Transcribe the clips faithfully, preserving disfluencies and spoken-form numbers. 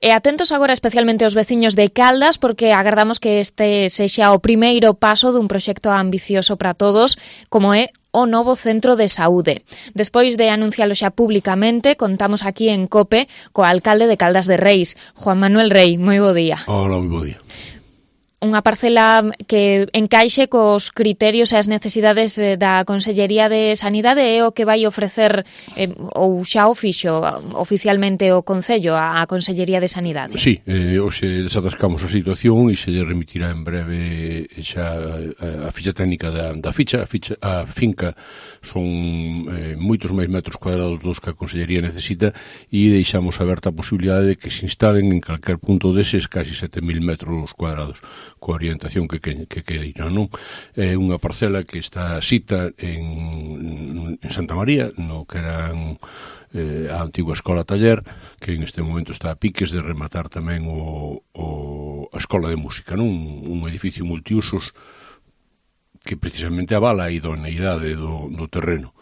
E atentos agora especialmente aos veciños de Caldas, porque agardamos que este sexa o primeiro paso dun proxecto ambicioso para todos, como é o novo centro de saúde. Despois de anuncialo xa públicamente, contamos aquí en COPE co alcalde de Caldas de Reis, Juan Manuel Rei. Moi bo día. Hola, moi bo día. Unha parcela que encaixe cos criterios e as necesidades da Consellería de Sanidade é o que vai ofrecer eh, ou xa o fixo oficialmente o Concello a Consellería de Sanidade. Sí, eh, hoxe desatascamos a situación e se lle remitirá en breve xa a, a ficha técnica da, da ficha. A, ficha, a finca son eh, moitos máis metros cuadrados dos que a Consellería necesita e deixamos aberta a posibilidade de que se instalen en calquer punto deses casi sete mil metros cuadrados, coa orientación que, que, que queira, non? É unha parcela que está sita en, en Santa María, no que eran eh, a antigua escola taller, que en este momento está a piques de rematar tamén o, o, a escola de música, non? Un, un edificio multiusos que precisamente avala a idoneidade do, do terreno.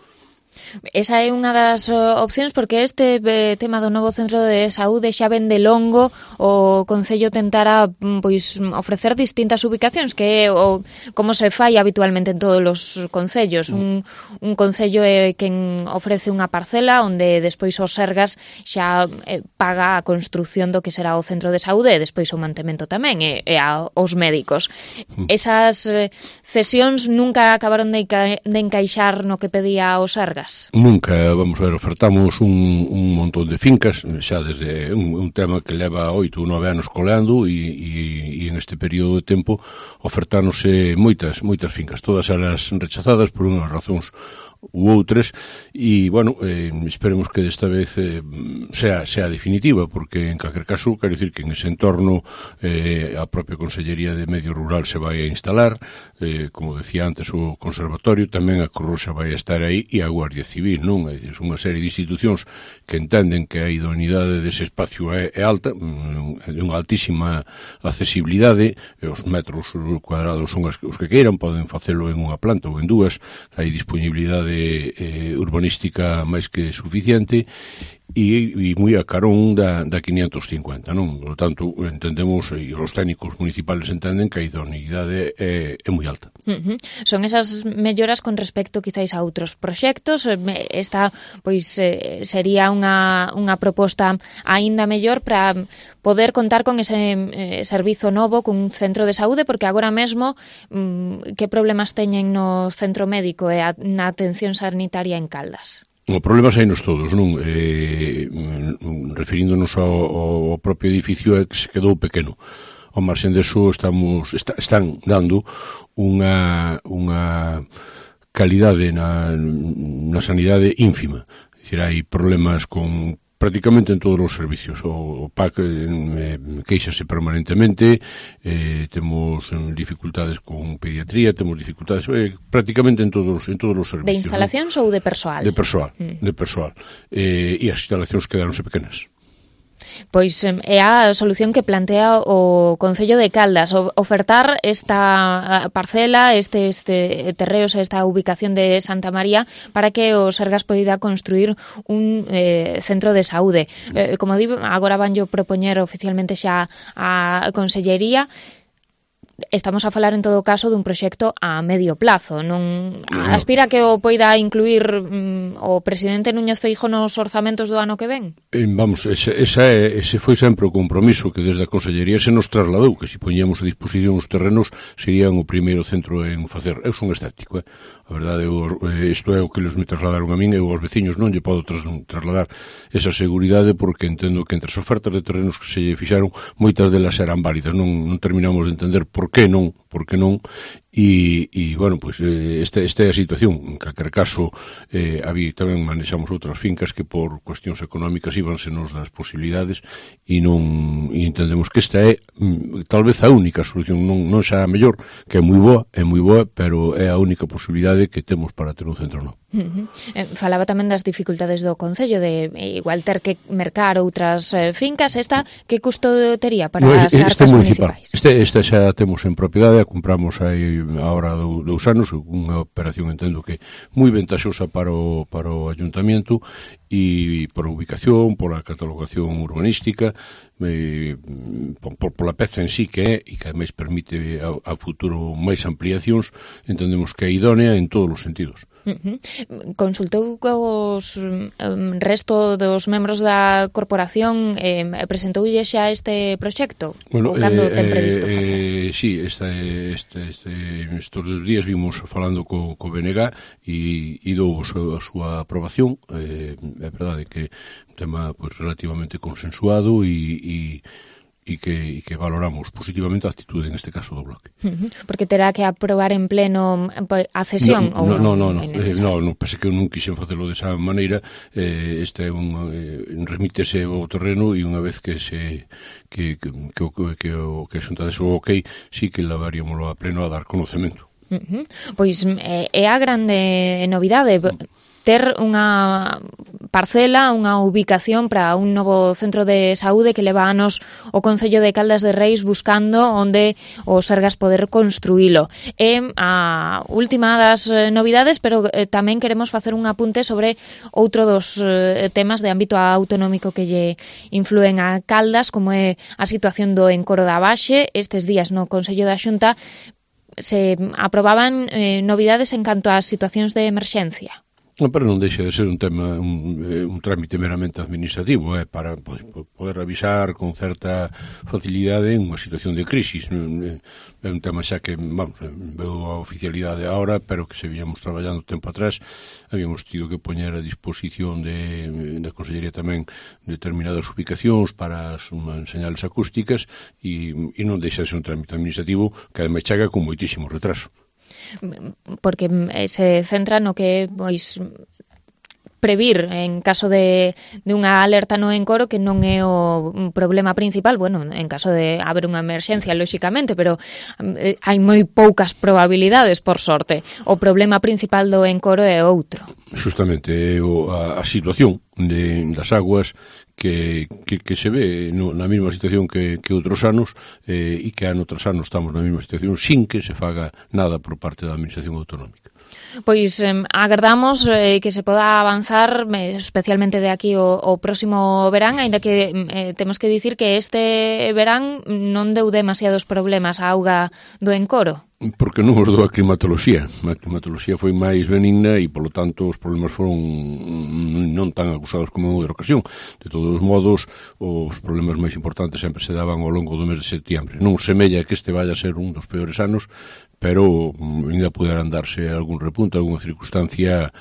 Esa é unha das opcións, porque este eh, tema do novo centro de saúde xa ven de longo o Concello tentara pois ofrecer distintas ubicacións, que é o, como se fai habitualmente en todos os concellos. Un, un concello é quen ofrece unha parcela onde despois os Sergas xa eh, paga a construción do que será o centro de saúde e despois o mantemento tamén e, e a, os médicos. Esas eh, cesións nunca acabaron de, de encaixar no que pedía os Sergas. Nunca, vamos a ver, ofertamos un, un montón de fincas, xa desde un, un tema que leva oito ou nove anos coleando e, e, e en este período de tempo ofertáronse moitas, moitas fincas, todas elas rechazadas por unhas razóns ou outras e, bueno, eh, esperemos que desta vez eh, sea, sea definitiva, porque en calquer caso, quero dicir que en ese entorno eh, a propia Consellería de Medio Rural se vai a instalar, eh, como decía antes o Conservatorio, tamén a Cruz Roxa vai a estar aí e a Guardia Civil, non? É dicir, unha serie de institucións que entenden que a idoneidade dese espacio é, é alta, é unha altísima accesibilidade, e os metros cuadrados son os que queiran, poden facelo en unha planta ou en dúas, hai disponibilidade eh, urbanística máis que suficiente e, e moi a carón da, da quinientos cincuenta, non? Por lo tanto, entendemos, e os técnicos municipales entenden que a idoneidade é, é moi alta. Uh-huh. Son esas melloras con respecto quizáis a outros proxectos. Esta, pois, eh, sería unha, unha proposta aínda mellor para poder contar con ese eh, servizo novo, cun centro de saúde, porque agora mesmo mm, que problemas teñen no centro médico e a, na atención sanitaria en Caldas? O problema sainos todos, non? Eh, referíndonos ao, ao propio edificio é que se quedou pequeno. Ao marxen deso estamos, está, están dando unha, unha calidade na, na sanidade ínfima. É dicir, hai problemas con prácticamente en todos os servicios. O, o P A C eh, queixase permanentemente, eh, temos dificultades con pediatría, temos dificultades eh, prácticamente en todos, en todos os servicios. De instalacións, ¿no? Ou de persoal? De persoal, mm. de persoal. Eh, e as instalacións quedaronse pequenas. Pois é a solución que plantea o Concello de Caldas, ofertar esta parcela, este, este terreos, esta ubicación de Santa María para que o Sergas poida construir un eh, centro de saúde. Eh, como digo, agora vanllo propoñer oficialmente xa a Consellería. Estamos a falar en todo caso dun proxecto a medio plazo, non aspira que o poida incluir mm, o presidente Núñez Feijóo nos orzamentos do ano que ven? Eh, vamos, ese, esa é, ese foi sempre o compromiso que desde a Consellería se nos trasladou, que se poñíamos a disposición os terrenos serían o primeiro centro en facer. Eu son escéptico, eh? A verdade, eu, isto é o que les me trasladaron a min, eu aos veciños non lle podo tras, trasladar esa seguridade, porque entendo que entre as ofertas de terrenos que se lle fixaron, moitas delas eran válidas, non, non terminamos de entender por que non, por que non, e, e bueno, pois pues, esta, esta é a situación. En calquer caso, eh, había, tamén manexamos outras fincas que por cuestións económicas íbanse nos das posibilidades e non e entendemos que esta é mm, tal vez a única solución, non, non xa a mellor, que é moi boa, é moi boa, pero é a única posibilidade que temos para ter un centro novo. Uh-huh. Eh, falaba tamén das dificultades do Concello de eh, igual ter que mercar outras eh, fincas. Esta, que custo tería para no, as arcas municipais? Este, esta xa temos en propiedade, a compramos aí ahora do, dous anos, unha operación entendo que moi ventaxosa para o, para o Ayuntamiento e por a ubicación, por a catalogación urbanística, eh, por, por la peza en sí que é e que ademais permite a, a futuro máis ampliacións, entendemos que é idónea en todos os sentidos. Uh-huh. Consultou cos um, resto dos membros da corporación, eh, presentoulle xa este proxecto? Bueno, ou cando eh, ten previsto facer? Eh, sí, este, este, este, estes dos días vimos falando co, co B N G e, e dou a súa aprobación. Eh, é verdade que é un tema pues, relativamente consensuado e, e e que, e que valoramos positivamente a actitude, en este caso, do Bloque. Uh-huh. Porque terá que aprobar en pleno a cesión? No, ou no, no, non, no, no, no, no, pese que eu non quixen facelo desa maneira, eh, este é un, eh, remítese ao terreno e unha vez que se que, que, que, que, que, que a Xunta de o ok, sí que levaríamoslo a pleno a dar conocemento. Uh-huh. Pois é, é a grande novidade, ter unha parcela, unha ubicación para un novo centro de saúde que leva anos o Concello de Caldas de Reis buscando onde o Sergas poder construílo. É a última das novidades, pero eh, tamén queremos facer un apunte sobre outro dos eh, temas de ámbito autonómico que lle influen a Caldas, como é a situación do encoro da Baxe. Estes días no Consello da Xunta se aprobaban eh, novidades en canto ás situacións de emerxencia. No, pero non deixa de ser un tema, un, un trámite meramente administrativo, eh, para pues, poder avisar con certa facilidade en unha situación de crisis. É un tema xa que, vamos, veo a oficialidade agora, pero que se víamos traballando tempo atrás, habíamos tido que poñer a disposición de, da Consellería tamén determinadas ubicacións para as señales acústicas e, e non deixa de ser un trámite administrativo que ademais chega con moitísimo retraso. Porque se centra no que pois previr en caso de, de unha alerta no encoro, que non é o problema principal, bueno, en caso de haber unha emerxencia, lóxicamente, pero eh, hai moi poucas probabilidades, por sorte. O problema principal do encoro é outro. Justamente, a, a situación de, das aguas que, que, que se ve no, na mesma situación que, que outros anos eh, e que ano tras ano estamos na mesma situación sin que se faga nada por parte da Administración Autonómica. Pois eh, agardamos eh, que se poda avanzar, eh, especialmente de aquí o, o próximo verán, aínda que eh, temos que dicir que este verán non deu demasiados problemas a auga do encoro. Porque non os dou a climatoloxía. A climatoloxía foi máis benigna e, polo tanto, os problemas foron non tan acusados como en outra ocasión. De todos os modos, os problemas máis importantes sempre se daban ao longo do mes de setembro. Non semella que este vaya a ser un dos peores anos, pero ainda poderán darse algún repunte, alguna circunstancia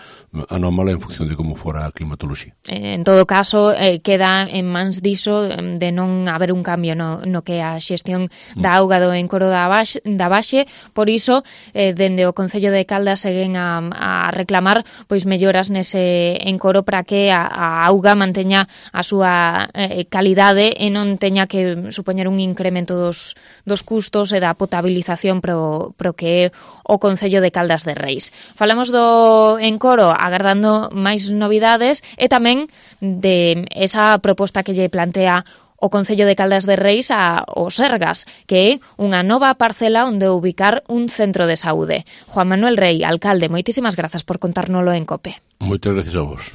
anómala en función de como fora a climatoloxía. En todo caso, eh, queda en mans diso de non haber un cambio no, no que a xestión da auga do encoro da Baxe, da Baxe. Por iso, eh, dende o Concello de Caldas seguen a, a reclamar pois melloras nese encoro para que a, a auga manteña a súa eh, calidade e non teña que supoñer un incremento dos, dos custos e da potabilización pro, pro que é o Concello de Caldas de Reis. Falamos do encoro agardando máis novidades e tamén de esa proposta que lle plantea o Concello de Caldas de Reis a o Sergas, que é unha nova parcela onde ubicar un centro de saúde. Juan Manuel Rei, alcalde, moitísimas grazas por contárnolo en COPE. Moitas gracias a vos.